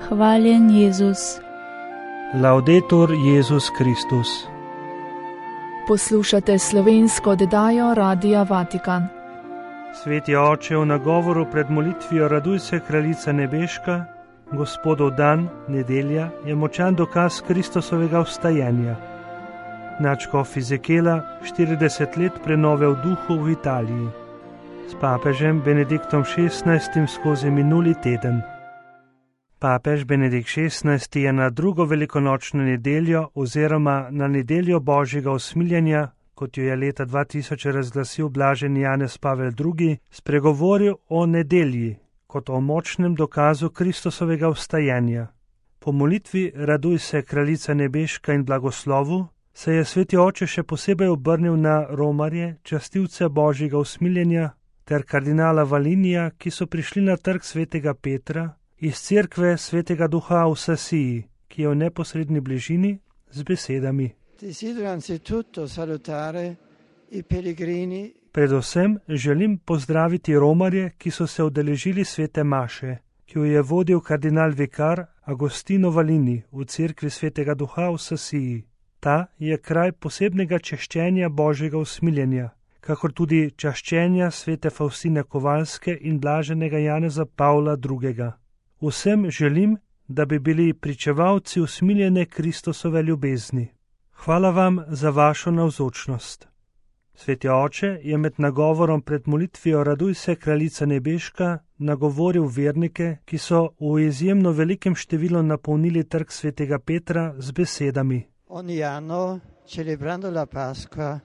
Hvaljen Jezus. Laudetur Jezus Kristus. Poslušate slovensko oddajo Radia Vatikan. Sveti oče, v nagovoru pred molitvijo Raduj se, kraljica nebeška, Gospodov dan, nedelja, je močan dokaz Kristusovega vstajenja. Nadškof Ezekela 40 let prenove v duhu v Italiji. S papežem Benediktom XVI skozi minuli teden. Papež Benedikt XVI je na drugo velikonočno nedeljo oziroma na nedeljo Božjega usmiljenja, kot jo je leta 2000 razglasil blaženi Janez Pavel II, spregovoril o nedelji kot o močnem dokazu Kristusovega vstajenja. Po molitvi Raduj se, kraljica nebeška in blagoslovu se je sveti oče še posebej obrnil na romarje, častilce Božjega usmiljenja, ter kardinala Valinija, ki so prišli na trg svetega Petra iz cerkve svetega duha v Sasiji, ki je v neposredni bližini, z besedami: Predvsem želim pozdraviti romarje, ki so se udeležili svete maše, ki jo je vodil kardinal vikar Agostino Valini v cerkvi svetega duha v Sasiji. Ta je kraj posebnega češčenja Božjega usmiljenja, kakor tudi čaščenja svete Faustine Kovalske in blaženega Janeza Pavla II. Vsem želim, da bi bili pričevalci usmiljene Kristusove ljubezni. Hvala vam za vašo navzočnost. Sveti oče je med nagovorom pred molitvijo Raduj se, kraljica nebeška, nagovoril vernike, ki so v izjemno velikem številu napolnili trg svetega Petra z besedami: Ogni anno, celebrando la Pasqua,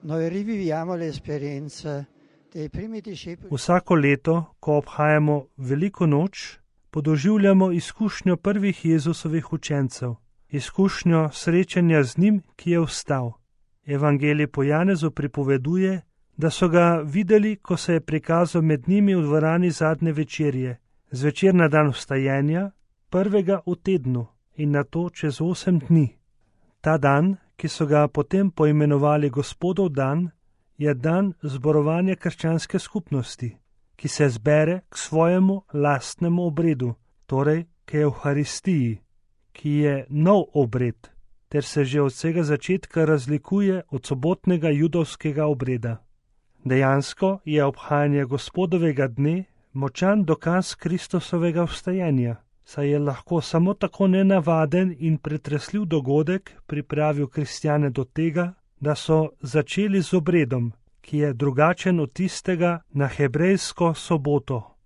noi riviviamo le esperienze dei primi discepoli. Vsako leto, ko obhajamo veliko noč, podoživljamo izkušnjo prvih Jezusovih učencev, izkušnjo srečanja z njim, ki je vstal. Evangelij po Janezu pripoveduje, da so ga videli, ko se je prikazal med njimi v dvorani zadnje večerje, zvečer na dan vstajenja, prvega v tednu in nato čez 8 dni. Ta dan, ki so ga potem poimenovali Gospodov dan, je dan zborovanja krščanske skupnosti, ki se zbere k svojemu lastnemu obredu, torej k Evharistiji, ki je nov obred, ter se že od vsega začetka razlikuje od sobotnega judovskega obreda. Dejansko je obhajanje Gospodovega dne močan dokaz Kristusovega vstajenja, saj je lahko samo tako nenavaden in pretresljiv dogodek pripravil kristjane do tega, da so začeli z obredom, ki je drugačen od tistega na hebrejsko soboto.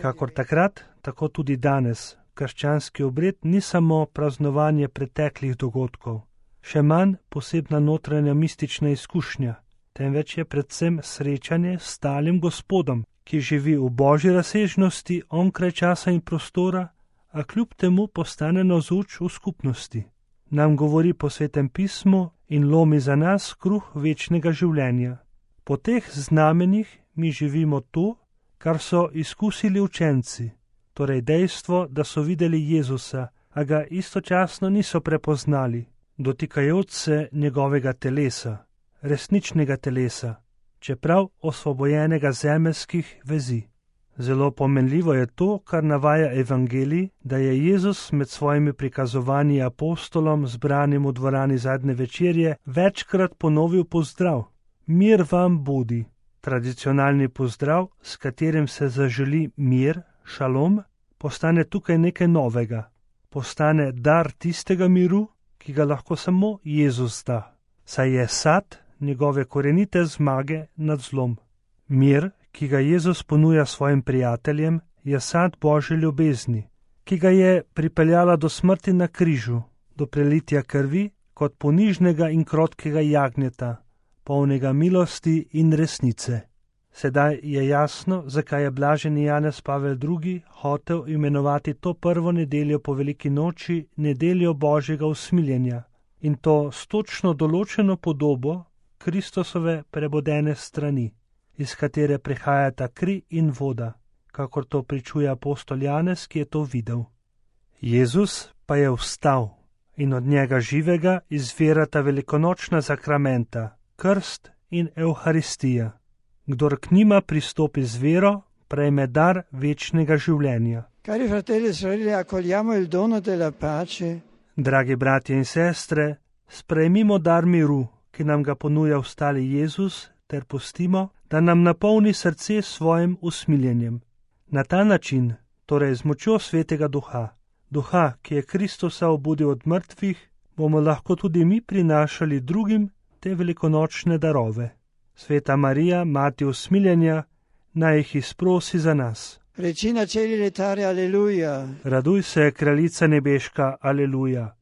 Kakor takrat, tako tudi danes, krščanski obred ni samo praznovanje preteklih dogodkov, še manj posebna notranja mistična izkušnja, temveč je predvsem srečanje s stalim Gospodom, ki živi v božji razsežnosti onkraj časa in prostora, a kljub temu postane navzoč v skupnosti. Nam govori po Svetem pismu in lomi za nas kruh večnega življenja. Po teh znamenjih mi živimo to, kar so izkusili učenci, torej dejstvo, da so videli Jezusa, a ga istočasno niso prepoznali, dotikajoč se njegovega telesa, resničnega telesa, čeprav osvobojenega zemeljskih vezi. Zelo pomenljivo je to, kar navaja Evangelij, da je Jezus med svojimi prikazovanji apostolom zbranim v dvorani zadnje večerje večkrat ponovil pozdrav: Mir vam bodi. Tradicionalni pozdrav, s katerim se zaželi mir, šalom, postane tukaj nekaj novega. Postane dar tistega miru, ki ga lahko samo Jezus da, saj je sad njegove korenite zmage nad zlom. Mir, ki ga Jezus ponuja svojim prijateljem, je sad Božje ljubezni, ki ga je pripeljala do smrti na križu, do prelitja krvi kot ponižnega in krotkega jagnjeta, polnega milosti in resnice. Sedaj je jasno, zakaj je blaženi Janez Pavel II. Hotel imenovati to prvo nedeljo po veliki noči nedeljo Božjega usmiljenja, in to s točno določeno podobo Kristusove prebodene strani, iz katere prihajata kri in voda, kakor to pričuje apostol Janez, ki je to videl. Jezus pa je vstal in od njega živega izvirata velikonočna sakramenta, krst in Evharistija. Kdor k njima pristopi z vero, prejme dar večnega življenja. Cari fratelli e sorelle, accogliamo il dono della pace. Dragi bratje in sestre, sprejmimo dar miru, ki nam ga ponuja vstali Jezus, ter pustimo, da nam napolni srce s svojim usmiljenjem. Na ta način, torej z močjo Svetega Duha, Duha, ki je Kristusa obudil od mrtvih, bomo lahko tudi mi prinašali drugim te velikonočne darove. Sveta Marija, mati usmiljenja, naj jih izprosi za nas. Regina Celi letare, alleluja. Raduj se, kraljica nebeška, aleluja.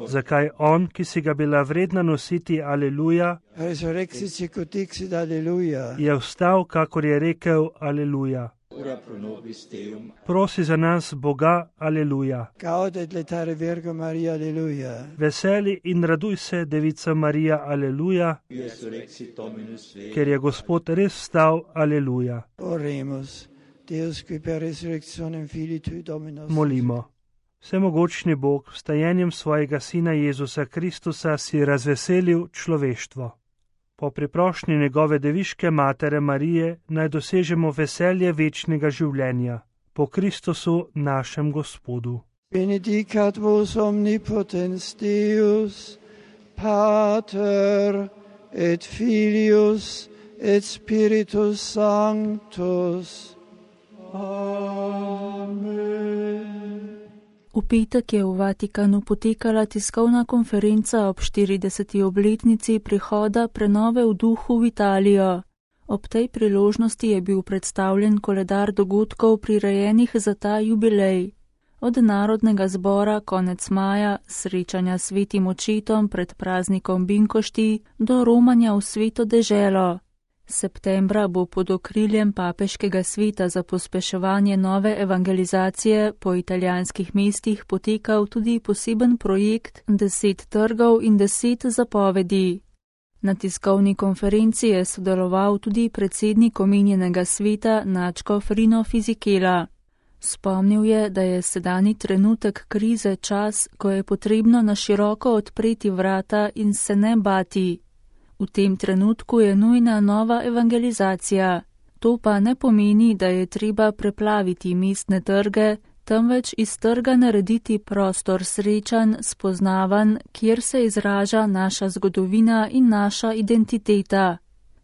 Zakaj on, ki si ga bila vredna nositi, aleluja, Resurrexit sicut dixit, alleluja. je vstal, kakor je rekel, aleluja. Prosi za nas, Boga, aleluja. Gaudet letare Virgo Maria, alleluja. Veseli in raduj se, Devica Marija, aleluja, ker je Gospod res vstal, aleluja. Oremus, Deus qui per resurrectionem Filii Tui Dominus. Molimo. Vsemogočni Bog, vstajenjem svojega Sina Jezusa Kristusa si razveselil človeštvo. Po priprošnji njegove deviške matere Marije naj dosežemo veselje večnega življenja. Po Kristusu našem Gospodu. Benedicat vos omnipotens Deus, Pater et Filius et Spiritus Sanctus. Amen. V petek je v Vatikanu potekala tiskovna konferenca ob 40. obletnici prihoda prenove v duhu v Italijo. Ob tej priložnosti je bil predstavljen koledar dogodkov prirejenih za ta jubilej. Od Narodnega zbora konec maja, srečanja s svetim očetom pred praznikom Binkošti, do romanja v sveto deželo. Septembra bo pod okriljem papeškega sveta za pospeševanje nove evangelizacije po italijanskih mestih potekal tudi poseben projekt 10 trgov in 10 zapovedi. Na tiskovni konferenci je sodeloval tudi predsednik omenjenega sveta nadškof Rino Fisichella. Spomnil je, da je sedanji trenutek krize čas, ko je potrebno na široko odpreti vrata in se ne bati. V tem trenutku je nujna nova evangelizacija. To pa ne pomeni, da je treba preplaviti mestne trge, temveč iz trga narediti prostor srečan, spoznavan, kjer se izraža naša zgodovina in naša identiteta.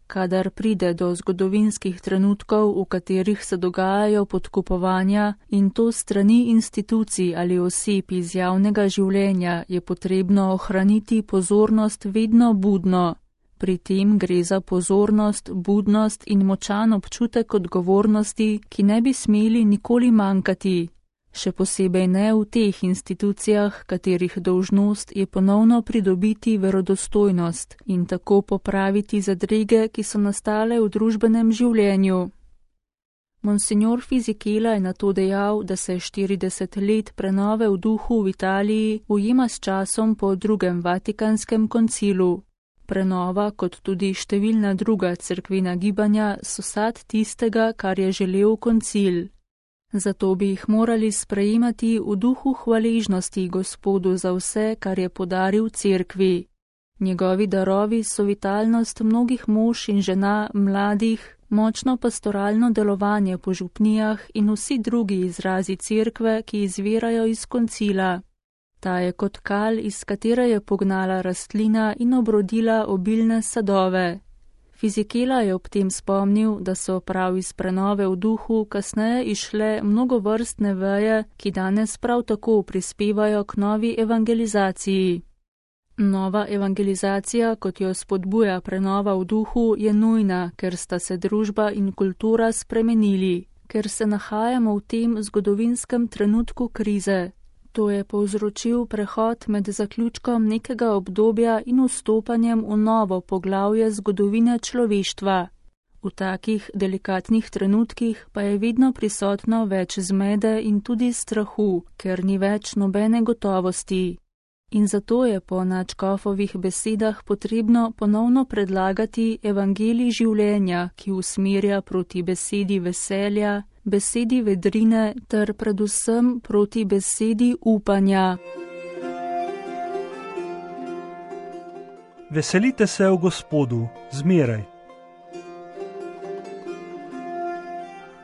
Kadar pride do zgodovinskih trenutkov, v katerih se dogajajo podkupovanja in to strani institucij ali oseb iz javnega življenja, je potrebno ohraniti pozornost vedno budno. Pri tem gre za pozornost, budnost in močan občutek odgovornosti, ki ne bi smeli nikoli manjkati. Še posebej ne v teh institucijah, katerih dolžnost je ponovno pridobiti verodostojnost in tako popraviti zadrege, ki so nastale v družbenem življenju. Monsignor Fisichella je nato dejal, da se 40 let prenove v duhu v Italiji ujema s časom po drugem Vatikanskem koncilu. Prenova, kot tudi številna druga cerkvena gibanja, so sad tistega, kar je želel koncil. Zato bi jih morali sprejemati v duhu hvaležnosti Gospodu za vse, kar je podaril cerkvi. Njegovi darovi so vitalnost mnogih mož in žena, mladih, močno pastoralno delovanje po župnijah in vsi drugi izrazi cerkve, ki izvirajo iz koncila. Ta je kot kal, iz katere je pognala rastlina in obrodila obilne sadove. Fisichella je ob tem spomnil, da so prav iz prenove v duhu kasneje išle mnogovrstne veje, ki danes prav tako prispevajo k novi evangelizaciji. Nova evangelizacija, kot jo spodbuja prenova v duhu, je nujna, ker sta se družba in kultura spremenili, ker se nahajamo v tem zgodovinskem trenutku krize. To je povzročil prehod med zaključkom nekega obdobja in vstopanjem v novo poglavje zgodovine človeštva. V takih delikatnih trenutkih pa je vedno prisotno več zmede in tudi strahu, ker ni več nobene gotovosti. In zato je po nadškofovih besedah potrebno ponovno predlagati evangelij življenja, ki usmerja proti besedi veselja, besedi vedrine ter predvsem proti besedi upanja. Veselite se v Gospodu, zmeraj.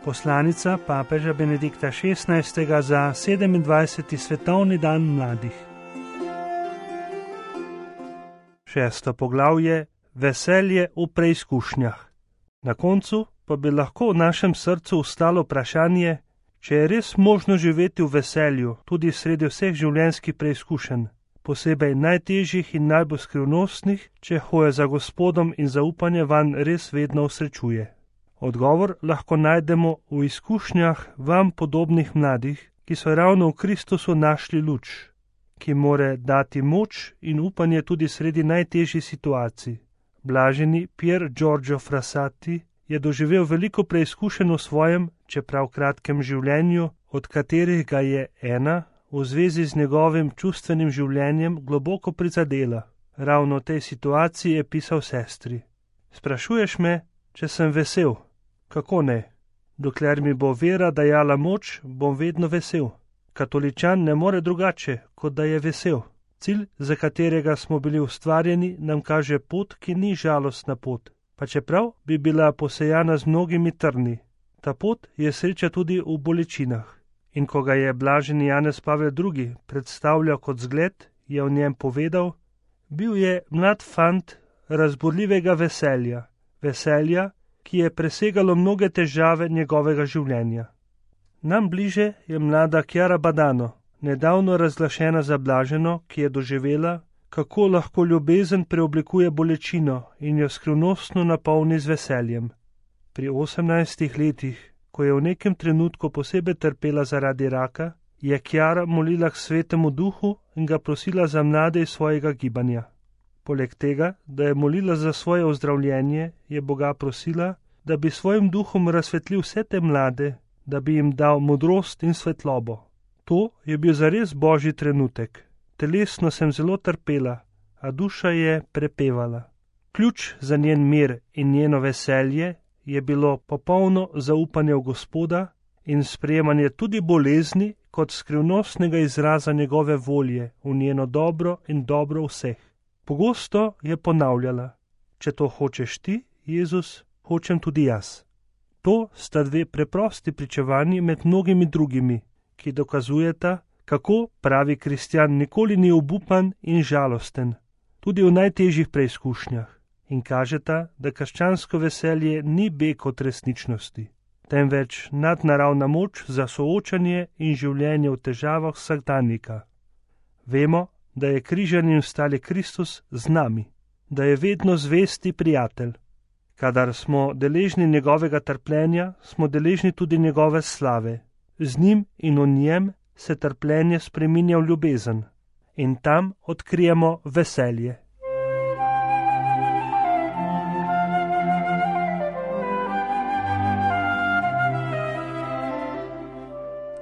Poslanica papeža Benedikta XVI. Za 27. svetovni dan mladih. 6. poglavje: Veselje v preizkušnjah. Na koncu pa bi lahko v našem srcu ostalo vprašanje, če je res možno živeti v veselju tudi sredi vseh življenjskih preizkušenj, posebej najtežjih in najbolj skrivnostnih, če hoja za Gospodom in zaupanje vanj res vedno usrečuje. Odgovor lahko najdemo v izkušnjah vam podobnih mladih, ki so ravno v Kristusu našli luč, ki more dati moč in upanje tudi sredi najtežjih situacij. Blaženi Pier Giorgio Frassati je doživel veliko preizkušenj v svojem, čeprav kratkem življenju, od katerih ga je ena v zvezi z njegovim čustvenim življenjem globoko prizadela. Ravno v tej situaciji je pisal sestri: Sprašuješ me, če sem vesel? Kako ne? Dokler mi bo vera dajala moč, bom vedno vesel. Katoličan ne more drugače, kot da je vesel. Cilj, za katerega smo bili ustvarjeni, nam kaže pot, ki ni žalostna pot, pa čeprav bi bila posejana z mnogimi trni. Ta pot je sreča tudi v bolečinah. In ko ga je blaženi Janez Pavel II. Predstavljal kot zgled, je o njem povedal: bil je mlad fant razburljivega veselja, veselja, ki je presegalo mnoge težave njegovega življenja. Nam bliže je mlada Chiara Badano, nedavno razglašena za blaženo, ki je doživela, kako lahko ljubezen preoblikuje bolečino in jo skrivnostno napolni z veseljem. Pri 18 letih, ko je v nekem trenutku posebej trpela zaradi raka, je Chiara molila k Svetemu Duhu in ga prosila za mlade iz svojega gibanja. Poleg tega, da je molila za svoje ozdravljenje, je Boga prosila, da bi svojim duhom razsvetlil vse te mlade, da bi jim dal modrost in svetlobo. To je bil zares božji trenutek. Telesno sem zelo trpela, a duša je prepevala. Ključ za njen mir in njeno veselje je bilo popolno zaupanje v Gospoda in sprejemanje tudi bolezni kot skrivnostnega izraza njegove volje v njeno dobro in dobro vseh. Pogosto je ponavljala: če to hočeš ti, Jezus, hočem tudi jaz. To sta dve preprosti pričevanji med mnogimi drugimi, ki dokazujeta, kako pravi kristjan nikoli ni obupan in žalosten, tudi v najtežjih preizkušnjah, in kažeta, da krščansko veselje ni beg od resničnosti, temveč nadnaravna moč za soočanje in življenje v težavah vsakdanjika. Vemo, da je križan in vstali Kristus z nami, da je vedno zvesti prijatelj. Kadar smo deležni njegovega trpljenja, smo deležni tudi njegove slave. Z njim in v njem se trpljenje spreminja v ljubezen in tam odkrijemo veselje.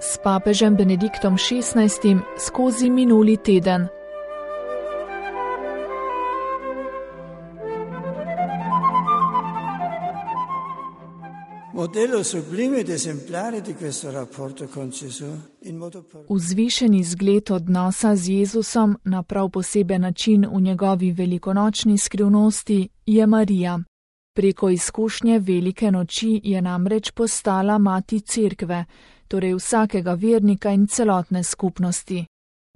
S papežem Benediktom XVI skozi minuli teden. Vzvišeni zgled odnosa z Jezusom na prav poseben način v njegovi velikonočni skrivnosti je Marija. Preko izkušnje velike noči je namreč postala mati cerkve, torej vsakega vernika in celotne skupnosti.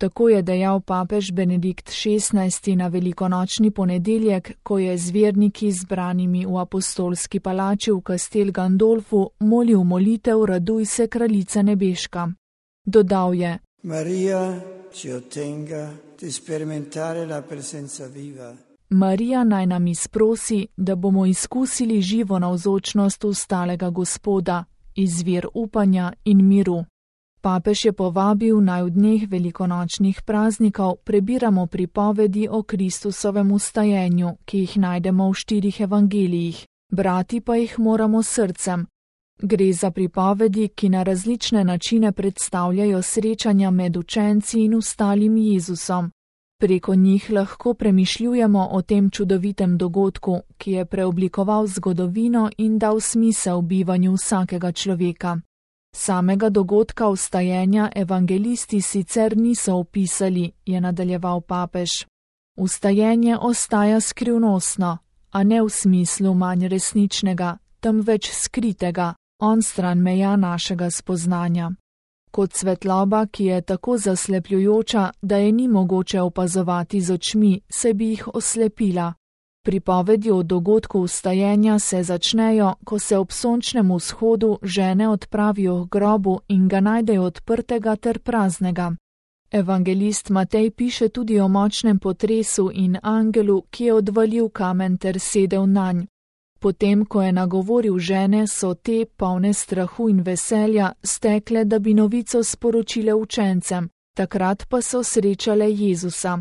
Tako je dejal papež Benedikt XVI na velikonočni ponedeljek, ko je z verniki zbranimi v apostolski palači v Castel Gandolfu molil molitev Raduj se, kraljica nebeška. Dodal je: Marija naj nam izprosi, da bomo izkusili živo navzočnost vstalega Gospoda, izvir upanja in miru. Papež je povabil, naj v dneh velikonočnih praznikov prebiramo pripovedi o Kristusovem vstajenju, ki jih najdemo v 4 evangelijih, brati pa jih moramo srcem. Gre za pripovedi, ki na različne načine predstavljajo srečanja med učenci in vstalim Jezusom. Preko njih lahko premišljujemo o tem čudovitem dogodku, ki je preoblikoval zgodovino in dal smisel bivanju vsakega človeka. Samega dogodka vstajenja evangelisti sicer niso opisali, je nadaljeval papež. Vstajenje ostaja skrivnostno, a ne v smislu manj resničnega, temveč skritega, onstran meja našega spoznanja. Kot svetloba, ki je tako zaslepljujoča, da je ni mogoče opazovati z očmi, se bi jih oslepila. Pripovedi o dogodku vstajenja se začnejo, ko se ob sončnem vzhodu žene odpravijo k grobu in ga najdejo odprtega ter praznega. Evangelist Matej piše tudi o močnem potresu in angelu, ki je odvalil kamen ter sedel nanj. Potem, ko je nagovoril žene, so te, polne strahu in veselja, stekle, da bi novico sporočile učencem, takrat pa so srečale Jezusa.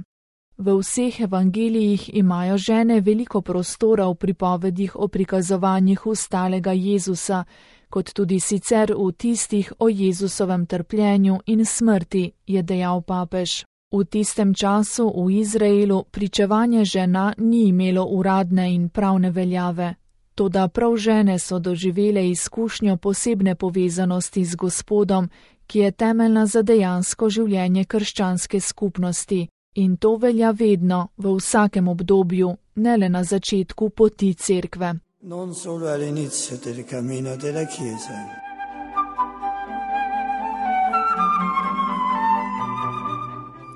V vseh evangelijih imajo žene veliko prostora v pripovedih o prikazovanjih vstalega Jezusa, kot tudi sicer v tistih o Jezusovem trpljenju in smrti, je dejal papež. V tistem času v Izraelu pričevanje žena ni imelo uradne in pravne veljave. Toda prav žene so doživele izkušnjo posebne povezanosti z Gospodom, ki je temeljna za dejansko življenje krščanske skupnosti. In to velja vedno, v vsakem obdobju, ne le na začetku poti cerkve. Non solo all'inizio del cammino della Chiesa.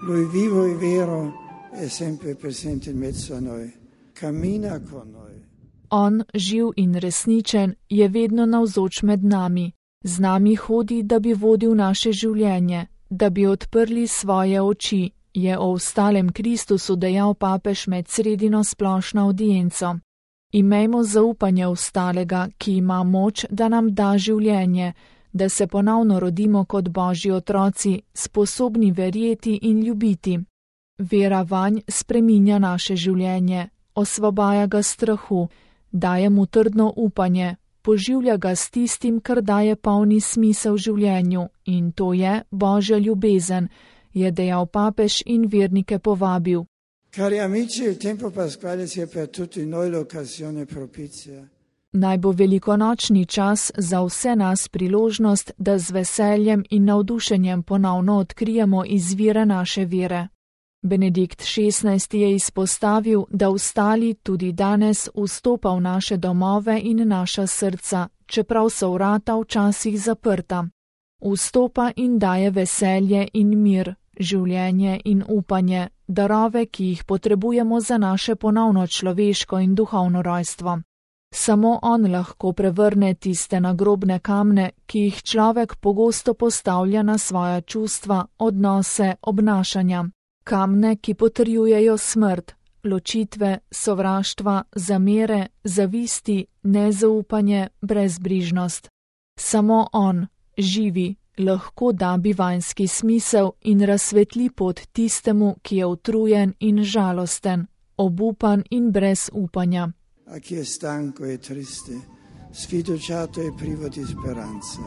Lui vivo e vero è sempre presente in mezzo a noi. Cammina con noi. On, živ in resničen, je vedno navzoč med nami. Z nami hodi, da bi vodil naše življenje, da bi odprli svoje oči, je o vstalem Kristusu dejal papež med sredino splošno audienco. Imejmo zaupanje vstalega, ki ima moč, da nam da življenje, da se ponovno rodimo kot Božji otroci, sposobni verjeti in ljubiti. Vera vanj spreminja naše življenje, osvobaja ga strahu, daje mu trdno upanje, poživlja ga s tistim, kar daje polni smisel življenju, in to je Božja ljubezen, je dejal papež in vernike povabil. Cari amici, il tempo pasquale sia per tutti noi l'occasione propizia. Naj bo velikonočni čas za vse nas priložnost, da z veseljem in navdušenjem ponovno odkrijemo izvire naše vere. Benedikt XVI je izpostavil, da vstali tudi danes vstopa v naše domove in naša srca, čeprav so vrata včasih zaprta. Vstopa in daje veselje in mir, življenje in upanje, darove, ki jih potrebujemo za naše ponovno človeško in duhovno rojstvo. Samo on lahko prevrne tiste nagrobne kamne, ki jih človek pogosto postavlja na svoja čustva, odnose, obnašanja. Kamne, ki potrjujejo smrt, ločitve, sovraštva, zamere, zavisti, nezaupanje, brezbrižnost. Samo on, živi, lahko da bivanjski smisel in razsvetli pot tistemu, ki je utrujen in žalosten, obupan in brez upanja. A chi è stanco e triste, sfiduciato e privo di speranza.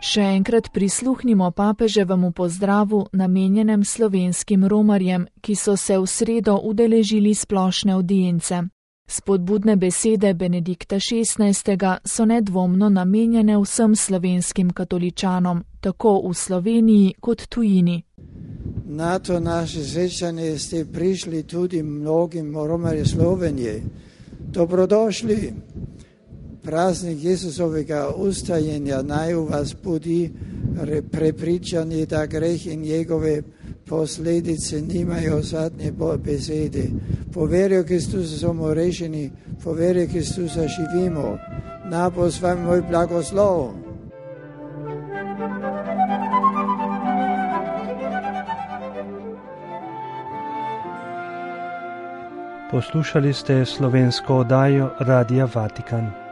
Še enkrat prisluhnimo papeževemu pozdravu namenjenem slovenskim romarjem, ki so se v sredo udeležili splošne audience. Spodbudne besede Benedikta XVI so nedvomno namenjene vsem slovenskim katoličanom, tako v Sloveniji kot tujini. Na to naše srečanje ste prišli tudi mnogim romarjem Slovenije. Dobrodošli. Praznik Jesusovega ustajenja naj u vas budi prepričanje, da greh in njegove posljedice nimajo zadnje besede. Po veri v Kristusa smo rešeni, po veri v Kristusa živimo. Na bo s vami moj blagoslov. Poslušali ste slovensko oddajo Radia Vatikan.